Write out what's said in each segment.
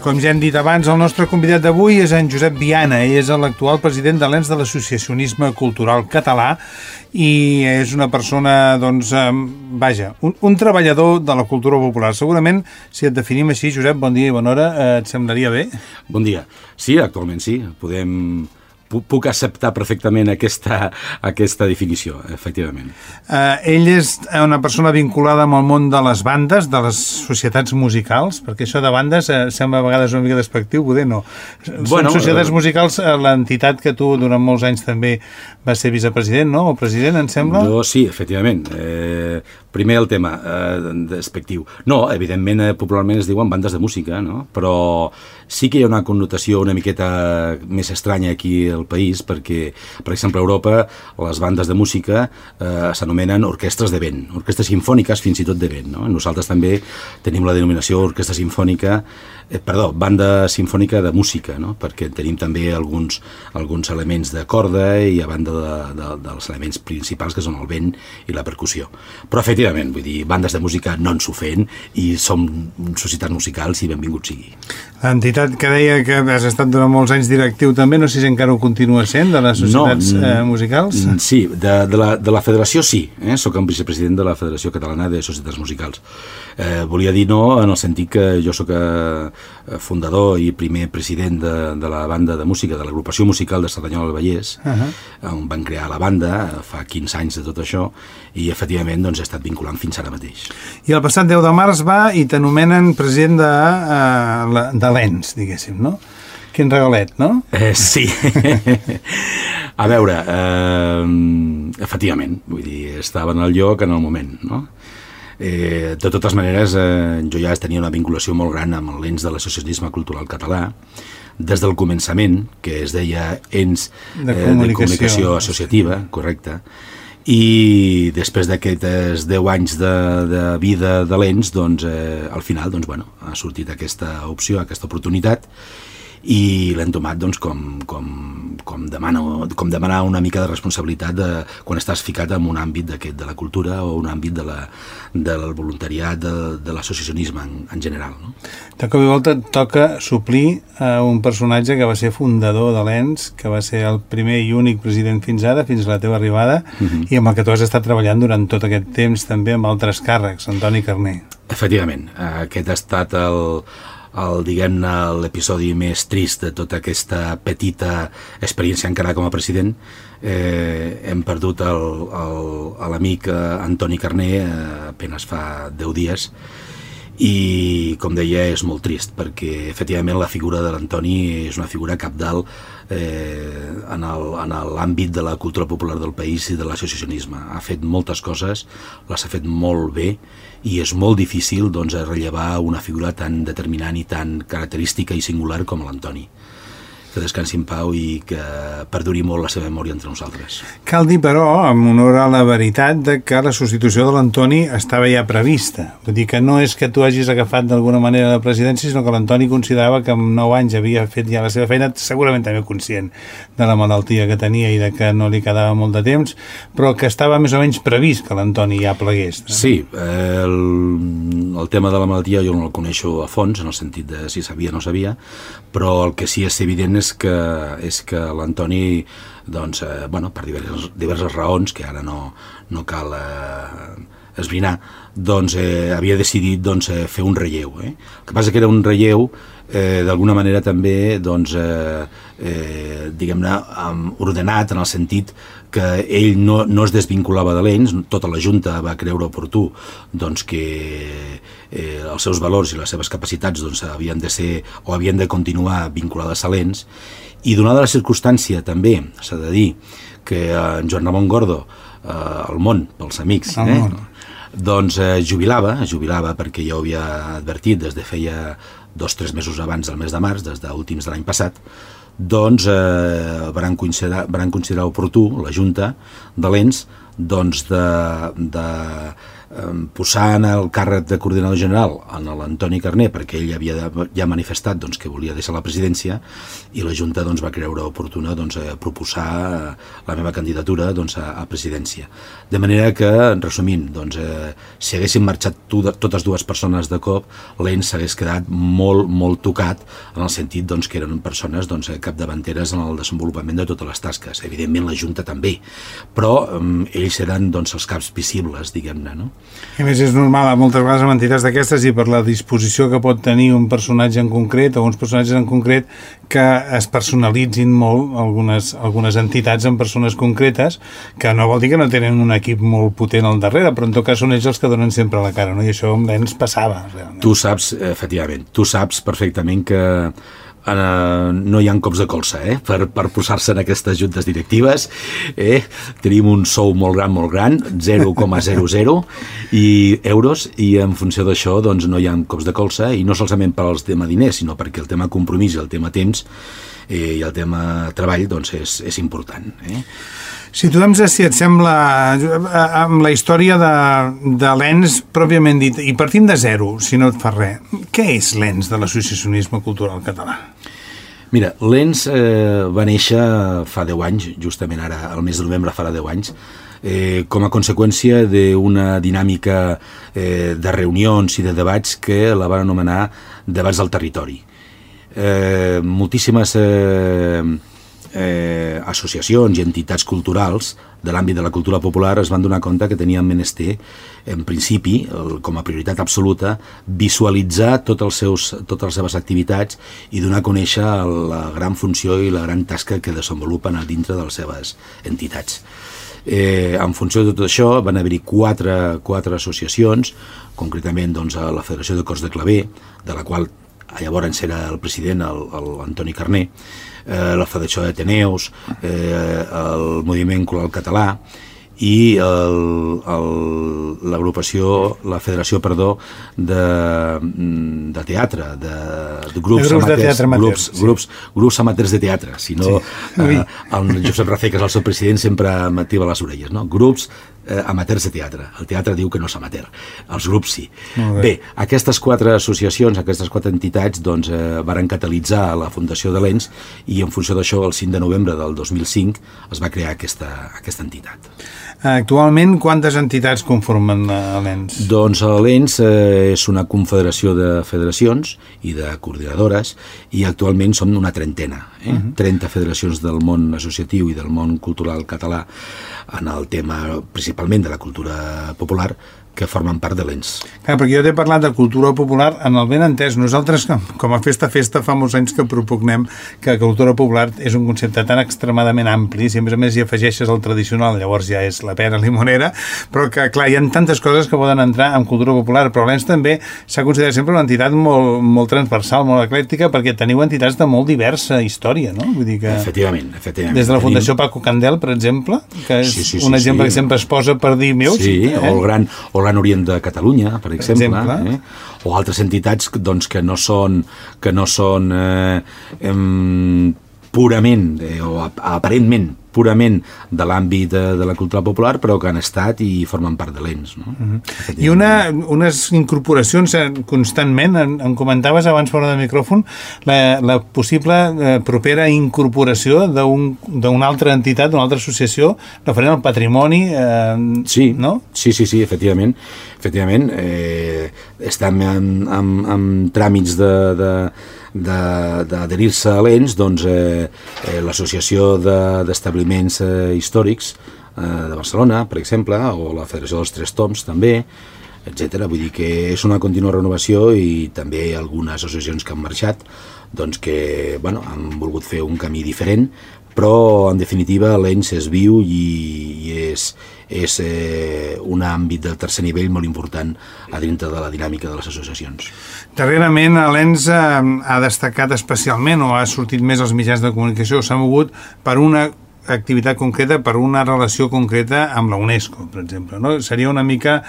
Com ja hem dit abans, el nostre convidat d'avui és en Josep Viana. Ell és l'actual president de l'ENS de l'Associacionisme Cultural Català i és una persona, doncs, vaja, un treballador de la cultura popular. Segurament, si et definim així, Josep, bon dia i bona hora, et semblaria bé? Bon dia. Sí, actualment sí. Puc acceptar perfectament aquesta definició, efectivament. Ell és una persona vinculada amb el món de les bandes, de les societats musicals, perquè això de bandes sembla a vegades una mica despectiu, poder no. Són societats musicals, l'entitat que tu durant molts anys també vas ser vicepresident, no? O president, em sembla? Sí, efectivament. Primer el tema despectiu. No, evidentment, popularment es diuen bandes de música, no? Però sí que hi ha una connotació una miqueta més estranya aquí al país, perquè, per exemple, a Europa les bandes de música s'anomenen orquestres de vent, orquestres simfòniques fins i tot de vent, no? Nosaltres també tenim la denominació orquestra simfònica, banda simfònica de música, no? Perquè tenim també alguns elements de corda i a banda dels elements principals que són el vent i la percussió. Però efectivament, vull dir, bandes de música no ens ofèn i som societats musicals i benvingut sigui. L'entitat que deia que has estat durant molts anys directiu també, no sé si encara ho continua sent, de les societats musicals? Sí, de la federació sí, soc el vicepresident de la Federació Catalana de Societats Musicals. Volia dir no en el sentit que jo soc fundador i primer president de la banda de música, de l'agrupació musical de Cerdanyola del Vallès, on van crear la banda fa 15 anys de tot això, i efectivament doncs, he estat vinculant fins ara mateix. I el passat 10 de març va i t'anomenen president de l'ENS, diguéssim, no? Quin regalet, no? Sí. A veure, efectivament, vull dir, estava en el lloc en el moment, no? De totes maneres, jo ja tenia una vinculació molt gran amb l'ENS de l'Associacionisme Cultural Català, des del començament, que es deia ENS de Comunicació Associativa, correcte, i després d'aquests 10 anys de vida de l'ENS, doncs, al final, doncs, bueno, ha sortit aquesta opció, aquesta oportunitat, i l'hem tomat doncs, com demanar una mica de responsabilitat quan estàs ficat en un àmbit de la cultura o un àmbit del voluntariat, de l'associacionisme en general. No? De cop i volta et toca suplir un personatge que va ser fundador de l'ENS, que va ser el primer i únic president fins ara, fins a la teva arribada, i amb el que tu has estat treballant durant tot aquest temps també amb altres càrrecs, Antoni Carner. Efectivament, aquest ha estat diguem-ne, l'episodi més trist de tota aquesta petita experiència encara com a president. Hem perdut l'amic Antoni Carner apenas fa 10 dies i, com deia, és molt trist perquè efectivament la figura de l'Antoni és una figura cabdal en l'àmbit de la cultura popular del país i de l'associacionisme. Ha fet moltes coses, les ha fet molt bé i és molt difícil doncs, rellevar una figura tan determinant i tan característica i singular com l'Antoni. Que descansi en pau i que perduri molt la seva memòria entre nosaltres. Cal dir, però, amb honor a la veritat, que la substitució de l'Antoni estava ja prevista. Vull dir que no és que tu hagis agafat d'alguna manera la presidència, sinó que l'Antoni considerava que amb 9 anys havia fet ja la seva feina, segurament també conscient de la malaltia que tenia i de que no li quedava molt de temps, però que estava més o menys previst que l'Antoni ja plegués. Sí, el tema de la malaltia jo no el coneixo a fons, en el sentit de si sabia o no sabia, però el que sí és evident és que l'Antoni, doncs, per diverses raons, que ara no cal esbrinar, doncs havia decidit fer un relleu. El que passa que era un relleu d'alguna manera també, doncs, diguem-ne, ordenat en el sentit que ell no es desvinculava de l'ENS, tota la Junta va creure oportú doncs, que els seus valors i les seves capacitats doncs, havien de ser o havien de continuar vinculades a l'ENS, i donada la circumstància també s'ha de dir que en Joan Ramon Gordo, el món, pels amics, doncs jubilava perquè ja ho havia advertit des de feia 2-3 mesos abans del mes de març, des d'últims de l'any passat, doncs van considerar oportú, la Junta de l'ENS, doncs de posar en el càrrec de coordinador general en l'Antoni Carné, perquè ell havia ja manifestat doncs, que volia deixar la presidència, i la Junta doncs, va creure oportuna doncs, proposar la meva candidatura doncs, a presidència. De manera que, resumint, doncs, si haguessin marxat totes dues persones de cop, l'ENS s'hagués quedat molt, molt tocat, en el sentit doncs, que eren persones doncs, capdavanteres en el desenvolupament de totes les tasques. Evidentment la Junta també, però ells eren doncs, els caps visibles, diguem-ne, no? I més és normal, moltes vegades amb entitats d'aquestes i per la disposició que pot tenir un personatge en concret o uns personatges en concret que es personalitzin molt algunes entitats en persones concretes, que no vol dir que no tenen un equip molt potent al darrere, però en tot cas són ells els que donen sempre la cara, no? I això amb l'ENS passava, realment. Tu saps, efectivament, perfectament que no hi ha cops de colze per posar-se en aquestes juntes directives. Tenim un sou molt gran, 0,00 euros, i en funció d'això doncs, no hi ha cops de colze, i no solament per al tema diners, sinó perquè el tema compromís i el tema temps i el tema treball doncs, és important. Situem, si et sembla, amb la història de l'ENS pròpiament dit, i partim de zero, si no et fa res. Què és l'ENS de l'associacionisme cultural català? Mira, l'ENS va néixer fa 10 anys, justament ara, al mes de novembre farà 10 anys, com a conseqüència d'una dinàmica de reunions i de debats que la van anomenar debats del territori. Moltíssimes associacions i entitats culturals de l'àmbit de la cultura popular es van donar compte que tenien menester, en principi, com a prioritat absoluta, visualitzar totes les seves activitats i donar a conèixer la gran funció i la gran tasca que desenvolupen a dintre de les seves entitats. En funció de tot això van haver-hi quatre associacions, concretament doncs, a la Federació de Cors de Claver, de la qual llavors era el president, l'Antoni Carné, la Federació d'Ateneus, el Moviment Coral Català i la Federació de Teatre, de grups amateurs de teatre. Si no, el Josep Rafé, que és el seu president, sempre m'activa les orelles, no? Grups amateurs de teatre. El teatre diu que no és amateur, els grups sí. Bé, aquestes 4 associacions, aquestes 4 entitats doncs, varen catalitzar la fundació de l'ENS, i en funció d'això el 5 de novembre del 2005 es va crear aquesta entitat. Actualment, quantes entitats conformen l'ENS? Doncs l'ENS és una confederació de federacions i de coordinadores, i actualment som una trentena, 30 federacions del món associatiu i del món cultural català en el tema principalment de la cultura popular, que formen part de l'ENS. Clar, perquè jo t'he parlat de cultura popular en el ben entès. Nosaltres, com a Festa fa molts anys que propugnem que cultura popular és un concepte tan extremadament ampli, si a més hi afegeixes el tradicional, llavors ja és la pera limonera, però que, clar, hi ha tantes coses que poden entrar en cultura popular, però l'ENS també s'ha considerat sempre una entitat molt, molt transversal, molt eclèctica, perquè teniu entitats de molt diversa història, no? Vull dir que... Efectivament. Des de la Fundació Paco Candel, per exemple, que és un exemple que sempre es posa per dir meu. Sí, o el Gran Orient de Catalunya, per exemple. O altres entitats doncs, que no són purament o aparentment purament de l'àmbit de la cultura popular, però que han estat i formen part de l'ENS. No? I unes incorporacions constantment, em comentaves abans fora del micròfon, la possible propera incorporació d'una altra entitat, d'una altra associació referent al patrimoni, no? Sí, efectivament. Estem en tràmits d'adherir-se a l'ENS, doncs l'associació d'establiments històrics de Barcelona, per exemple, o la Federació dels Tres Toms també, etc. Vull dir que és una contínua renovació, i també algunes associacions que han marxat doncs que han volgut fer un camí diferent, però en definitiva l'ENS és viu i és un àmbit del tercer nivell molt important a dintre de la dinàmica de les associacions. Darrerament l'ENS ha destacat especialment, o ha sortit més als mitjans de comunicació, s'ha mogut per una activitat concreta per una relació concreta amb la UNESCO, per exemple, no? Seria una mica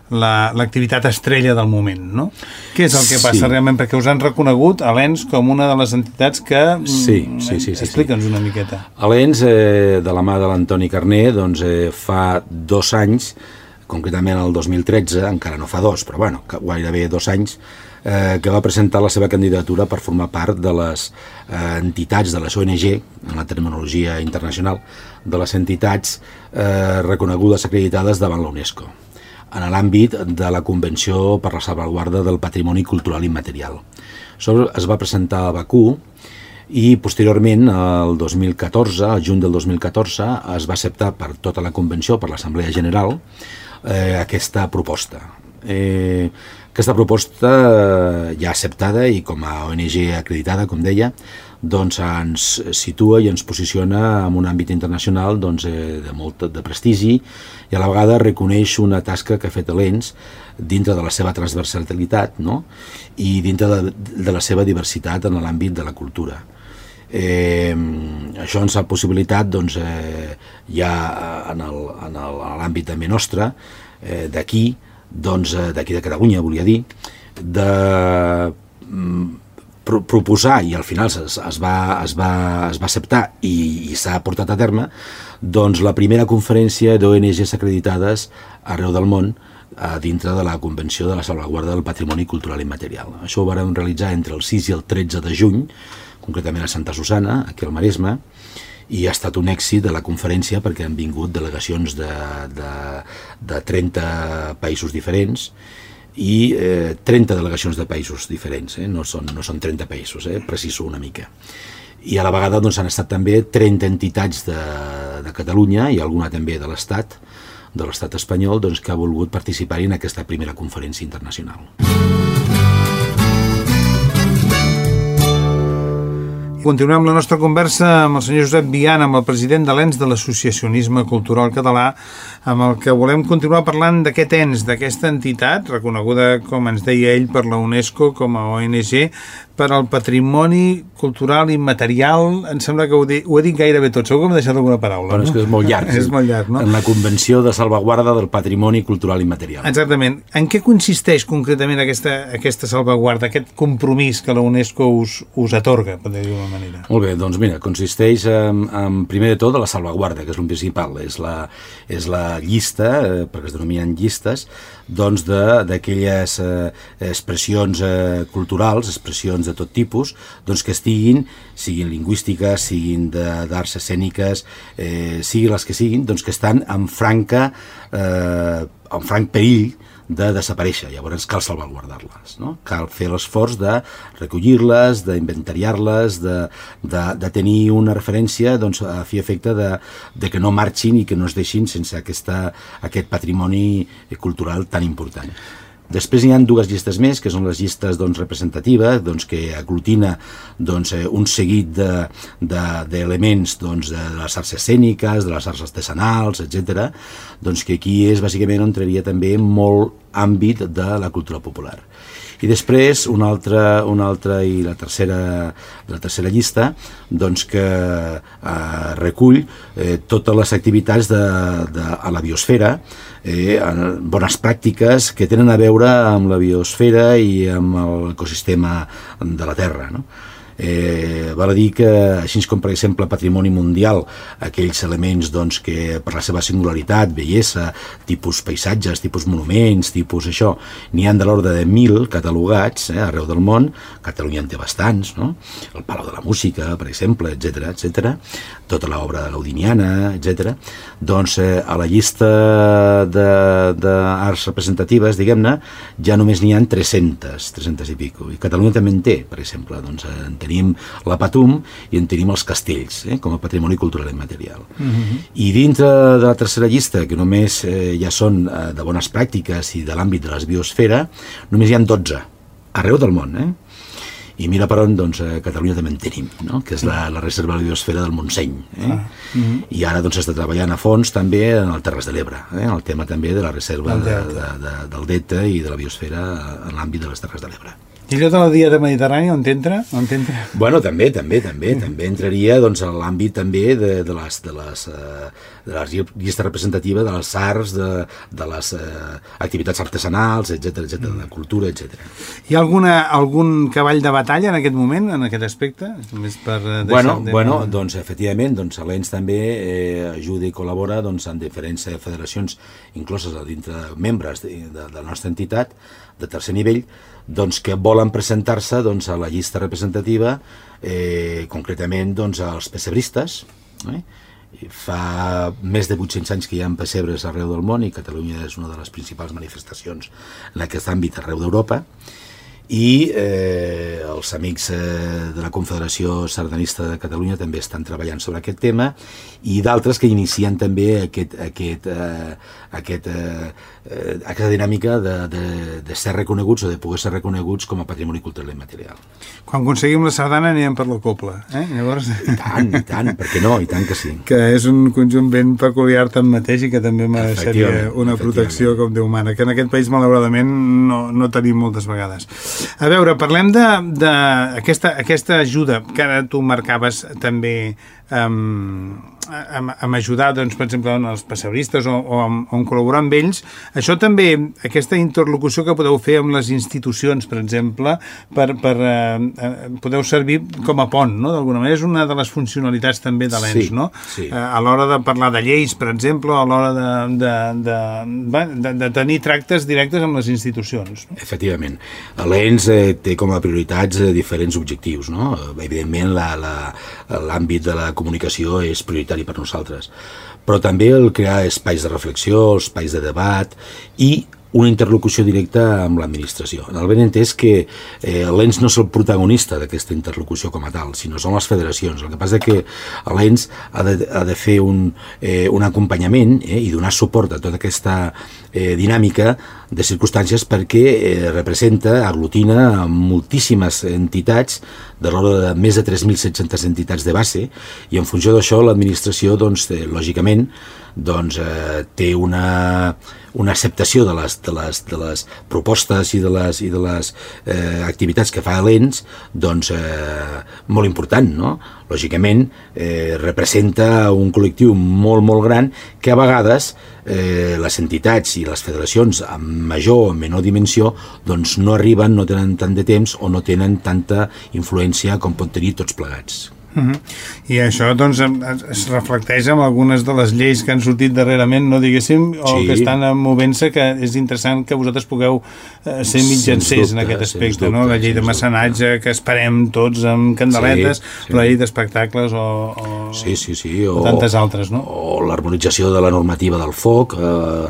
l'activitat estrella del moment, no? Què és el que passa realment? Perquè us han reconegut a l'ENS com una de les entitats que... Sí. Explica'ns una miqueta. A l'ENS, de la mà de l'Antoni Carner, doncs fa 2 anys, concretament el 2013, encara no fa 2, però bueno, gairebé 2 anys, que va presentar la seva candidatura per formar part de les entitats de les ONG, en la terminologia internacional, de les entitats reconegudes acreditades davant la UNESCO, en l'àmbit de la Convenció per la Salvaguarda del Patrimoni Cultural Immaterial. Això es va presentar a Bakú i posteriorment, el 2014, al juny del 2014, es va acceptar per tota la Convenció, per l'Assemblea General, aquesta proposta. Aquesta proposta ja acceptada i com a ONG acreditada, com deia, doncs ens situa i ens posiciona en un àmbit internacional doncs, de molt de prestigi i a la vegada reconeix una tasca que ha fet l'ENS dintre de la seva transversalitat, no? I dintre de la seva diversitat en l'àmbit de la cultura. Això ens ha possibilitat doncs, ja en l'àmbit també nostre, d'aquí de Catalunya, volia dir, de proposar, i al final es va acceptar i s'ha portat a terme, doncs la primera conferència d'ONGs acreditades arreu del món dintre de la Convenció de la Salvaguarda del Patrimoni Cultural Immaterial. Això ho vam realitzar entre el 6 i el 13 de juny, concretament a Santa Susanna, aquí al Maresme, i ha estat un èxit de la conferència perquè han vingut delegacions de 30 països diferents i 30 delegacions de països diferents, no són 30 països, preciso una mica. I a la vegada doncs, han estat també 30 entitats de Catalunya i alguna també de l'Estat espanyol doncs, que ha volgut participar en aquesta primera conferència internacional. Continuem la nostra conversa amb el senyor Josep Viana, amb el president de l'ENS de l'Associacionisme Cultural Català, amb el que volem continuar parlant d'aquest ENS, d'aquesta entitat, reconeguda, com ens deia ell, per la UNESCO com a ONG, per al patrimoni cultural immaterial. Em sembla que ho he dit gairebé tot, segur que m'he deixat alguna paraula. Però és que és molt llarg. És molt llarg, no? En la Convenció de Salvaguarda del Patrimoni Cultural Immaterial. Exactament. En què consisteix concretament aquesta salvaguarda, aquest compromís que la UNESCO us atorga, per dir-ho d'una manera? Molt bé, doncs mira, consisteix en primer de tot la salvaguarda, que és el principal, és la llista, perquè es denominen llistes, doncs d'aquelles expressions culturals, expressions de tot tipus, doncs que siguin lingüístiques, siguin d'arts escèniques, siguin les que siguin, doncs que estan en franc perill de desaparèixer. Llavors cal salvaguardar-les, no? Cal fer l'esforç de recollir-les, d'inventariar-les, de tenir una referència doncs, a fi efecte de que no marxin i que no es deixin sense aquest patrimoni cultural tan important. Després hi ha 2 llistes més, que són les llistes doncs, representatives, doncs, que aglutina doncs, un seguit d'elements doncs, de les arts escèniques, de les arts artesanals, etc. Doncs que aquí és bàsicament on entraria també molt àmbit de la cultura popular. I després una altra i la tercera llista doncs, que recull totes les activitats a la biosfera, bones pràctiques que tenen a veure amb la biosfera i amb l'ecosistema de la Terra, no? Val a dir que, així com per exemple patrimoni mundial, aquells elements doncs, que per la seva singularitat, bellesa, tipus paisatges, tipus monuments, tipus això, n'hi ha de l'ordre de 1.000 catalogats arreu del món. Catalunya en té bastants, no? El Palau de la Música, per exemple, etc. Tota l'obra gaudiniana, etc. Doncs a la llista d'arts representatives, diguem-ne, ja només n'hi ha 300 i pico. I Catalunya també en té, per exemple, doncs en tenim la Patum i en tenim els castells, com a patrimoni cultural immaterial. I dintre de la tercera llista, que només ja són de bones pràctiques i de l'àmbit de la biosfera, només hi ha 12, arreu del món, I mira per on, doncs, a Catalunya també en tenim, no? Que és la reserva de la biosfera del Montseny. I ara doncs està treballant a fons també en el Terres de l'Ebre, en el tema també de la reserva del delta i de la biosfera en l'àmbit de les Terres de l'Ebre. I allò de la Diada Mediterrània on entra? Bueno, també entraria doncs, a l'àmbit també de la llista representativa de les arts, de les activitats artesanals, etc, de cultura, etc. Hi ha algun cavall de batalla en aquest moment, en aquest aspecte? Doncs efectivament, l'ENS també ajuda i col·labora en diferents federacions incloses dintre membres de la nostra entitat de tercer nivell, que volen presentar-se a la llista representativa, concretament als pessebristes. Fa més de 800 anys que hi ha pessebres arreu del món i Catalunya és una de les principals manifestacions en aquest àmbit arreu d'Europa, i els amics de la Confederació Sardanista de Catalunya també estan treballant sobre aquest tema, i d'altres que inicien també aquesta dinàmica de ser reconeguts o de poder ser reconeguts com a patrimoni cultural immaterial. Quan aconseguim la sardana anirem per la copla, Llavors... I tant, per què no? I tant que sí. Que és un conjunt ben peculiar tanmateix i que també mereixeria una protecció com Déu mana, que en aquest país malauradament no tenim moltes vegades. A veure, parlem d'aquesta ajuda que ara tu marcaves també amb ajudar, per exemple, els pessebristes o en col·laborar amb ells. Això també, aquesta interlocució que podeu fer amb les institucions, per exemple, podeu servir com a pont, no? D'alguna manera és una de les funcionalitats també de l'ENS, no? Sí. A l'hora de parlar de lleis, per exemple, a l'hora de tenir tractes directes amb les institucions. No? Efectivament. L'ENS té com a prioritats diferents objectius, no? Evidentment, l'àmbit de la comunicació és prioritari per nosaltres, però també el crear espais de reflexió, espais de debat i una interlocució directa amb l'administració. En el ben entès que l'ENS no és el protagonista d'aquesta interlocució com a tal, sinó són les federacions. El que passa és que l'ENS ha de fer un acompanyament i donar suport a tota aquesta dinàmica de circumstàncies perquè representa, aglutina moltíssimes entitats de l'ordre de més de 3.700 entitats de base, i en funció d'això l'administració, lògicament, té una acceptació de les propostes i de les activitats que fa l'ENS molt important, no? Lògicament representa un col·lectiu molt, molt gran que a vegades les entitats i les federacions amb major o menor dimensió no arriben, no tenen tant de temps o no tenen tanta influència com pot tenir tots plegats. I això es reflecteix en algunes de les lleis que han sortit darrerament, no diguéssim, o que estan movent-se, que és interessant que vosaltres pugueu ser mitjancers en aquest aspecte, no? La llei de mecenatge que esperem tots amb candeletes, la llei d'espectacles o tantes altres, no? O l'harmonització de la normativa del foc,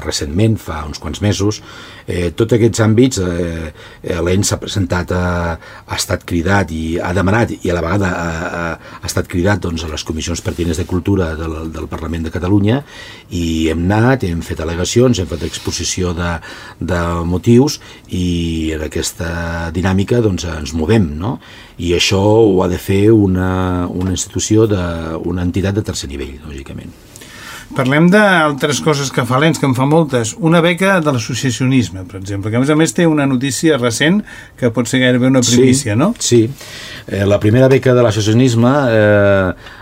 recentment, fa uns quants mesos. Tots aquests àmbits l'ENS s'ha presentat, ha estat cridat i ha demanat, i a la vegada ha estat cridat a les comissions pertinents de cultura del Parlament de Catalunya, i hem anat, hem fet al·legacions, hem fet exposició de motius, i en aquesta dinàmica ens movem, no? I això ho ha de fer una institució, una entitat de tercer nivell, lògicament. Parlem d'altres coses que fa l'ENS, que en fa moltes. Una beca de l'associacionisme, per exemple, que a més té una notícia recent que pot ser gairebé una primícia, no? Sí. La primera beca de l'associacionisme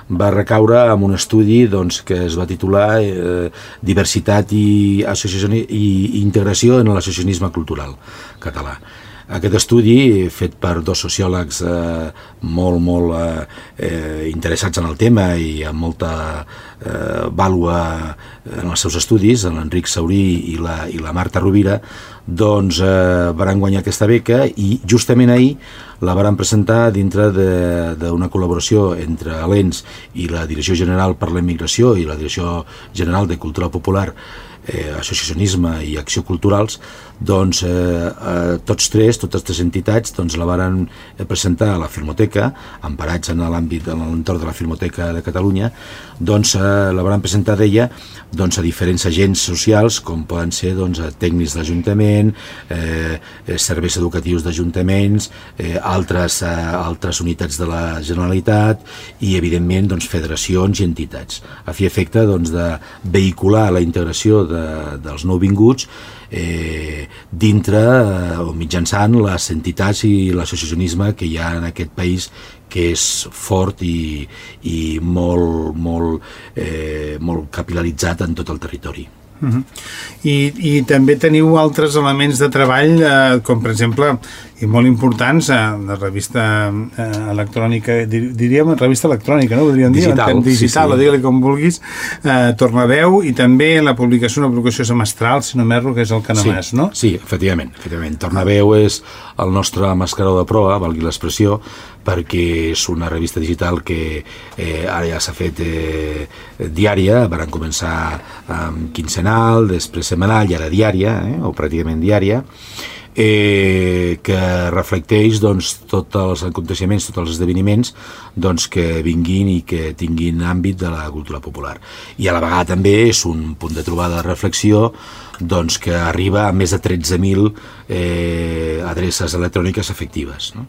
va recaure en un estudi que es va titular Diversitat i integració en l'associacionisme cultural català. Aquest estudi, fet per dos sociòlegs molt interessats en el tema i amb molta vàlua en els seus estudis, l'Enric Saurí i la Marta Rovira, varen guanyar aquesta beca, i justament ahir la varen presentar dintre d'una col·laboració entre l'ENS i la Direcció General per la Immigració i la Direcció General de Cultura Popular, associacionisme i acció culturals. Totes tres entitats la varen presentar a la Filmoteca, emparats en l'àmbit, en l'entorn de la Filmoteca de Catalunya. La varen presentar d'ella a diferents agents socials, com poden ser tècnics d'Ajuntament, serveis educatius d'ajuntaments, altres unitats de la Generalitat i, evidentment, doncs, federacions i entitats, a fi efecte doncs, de vehicular la integració dels nouvinguts dintre o mitjançant les entitats i l'associacionisme que hi ha en aquest país, que és fort i molt capil·laritzat en tot el territori. I també teniu altres elements de treball, com per exemple, i molt importants, la revista electrònica, diríem revista electrònica, no? Digital, o digue-li com vulguis, Tornaveu, i també la publicació, una publicació semestral, si no m'erro, que és el Canamàs, no? Sí, efectivament. Tornaveu és el nostre mascaró de proa, valgui l'expressió, perquè és una revista digital que ara ja s'ha fet diària, van començar quinzenal, després setmanal i ara diària, o pràcticament diària, que reflecteix doncs, tots els aconteixements, tots els esdeveniments doncs, que vinguin i que tinguin àmbit de la cultura popular. I a la vegada també és un punt de trobada de reflexió doncs, que arriba a més de 13.000 adreces electròniques efectives. No?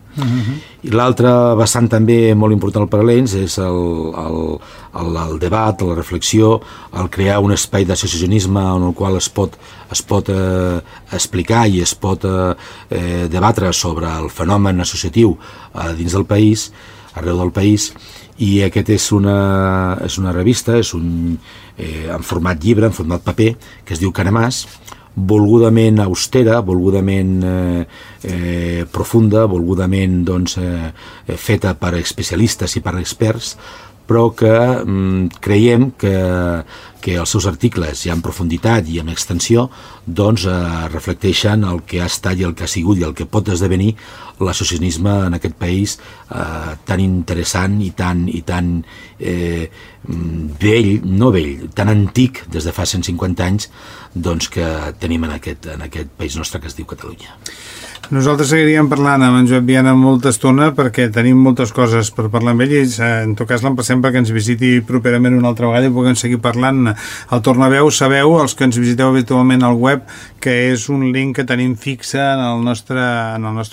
I l'altre vessant també molt important per a l'ENS és el debat, la reflexió, el crear un espai d'associacionisme en el qual es pot explicar i es pot debatre sobre el fenomen associatiu dins del país, arreu del país, i aquest és una revista, és en format llibre, en format paper, que es diu Canamàs, volgudament austera, volgudament profunda, volgudament doncs, feta per especialistes i per experts, però que creiem que els seus articles, ja en profunditat i en extensió, doncs reflecteixen el que ha estat i el que ha sigut i el que pot esdevenir l'associacionisme en aquest país tan interessant i tan vell, no vell, tan antic des de fa 150 anys doncs, que tenim en aquest país nostre que es diu Catalunya. Nosaltres seguiríem parlant amb en Josep Viana molta estona perquè tenim moltes coses per parlar amb ell i en tot cas l'emplacem perquè ens visiti properament una altra vegada i puguem seguir parlant. Al Tornaveu sabeu, els que ens visiteu habitualment al web, que és un link que tenim fixe en el nostre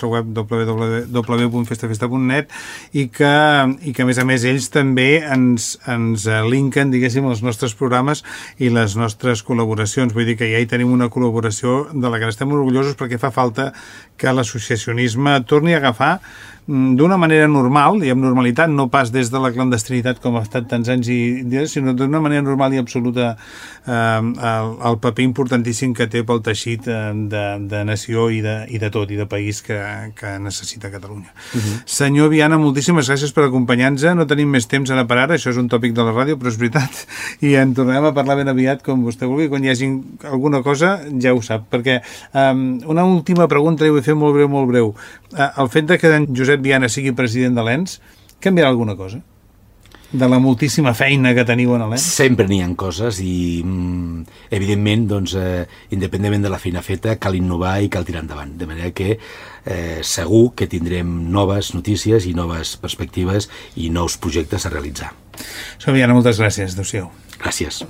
web www.festafesta.net i que a més ells també ens linken, diguéssim, els nostres programes i les nostres col·laboracions. Vull dir que ja hi tenim una col·laboració de la que estem orgullosos perquè fa falta que l'associacionisme torni a agafar d'una manera normal i amb normalitat, no pas des de la clandestinitat com ha estat tants anys, sinó d'una manera normal i absoluta el paper importantíssim que té pel teixit de nació i de tot, i de país que necessita Catalunya. Senyor Viana, moltíssimes gràcies per acompanyar-nos. No tenim més temps ara per ara, això és un tòpic de la ràdio, però és veritat, i en tornarem a parlar ben aviat, com vostè vulgui. Quan hi hagi alguna cosa, ja ho sap, perquè una última pregunta, li vull fer molt breu. El fet de que en Josep Viana sigui president de l'ENS canviarà alguna cosa? De la moltíssima feina que teniu en l'ENS? Sempre n'hi ha coses i, evidentment, doncs, independentment de la feina feta, cal innovar i cal tirar endavant. De manera que segur que tindrem noves notícies i noves perspectives i nous projectes a realitzar. Senyor Viana, moltes gràcies. Adéu-siau. Gràcies.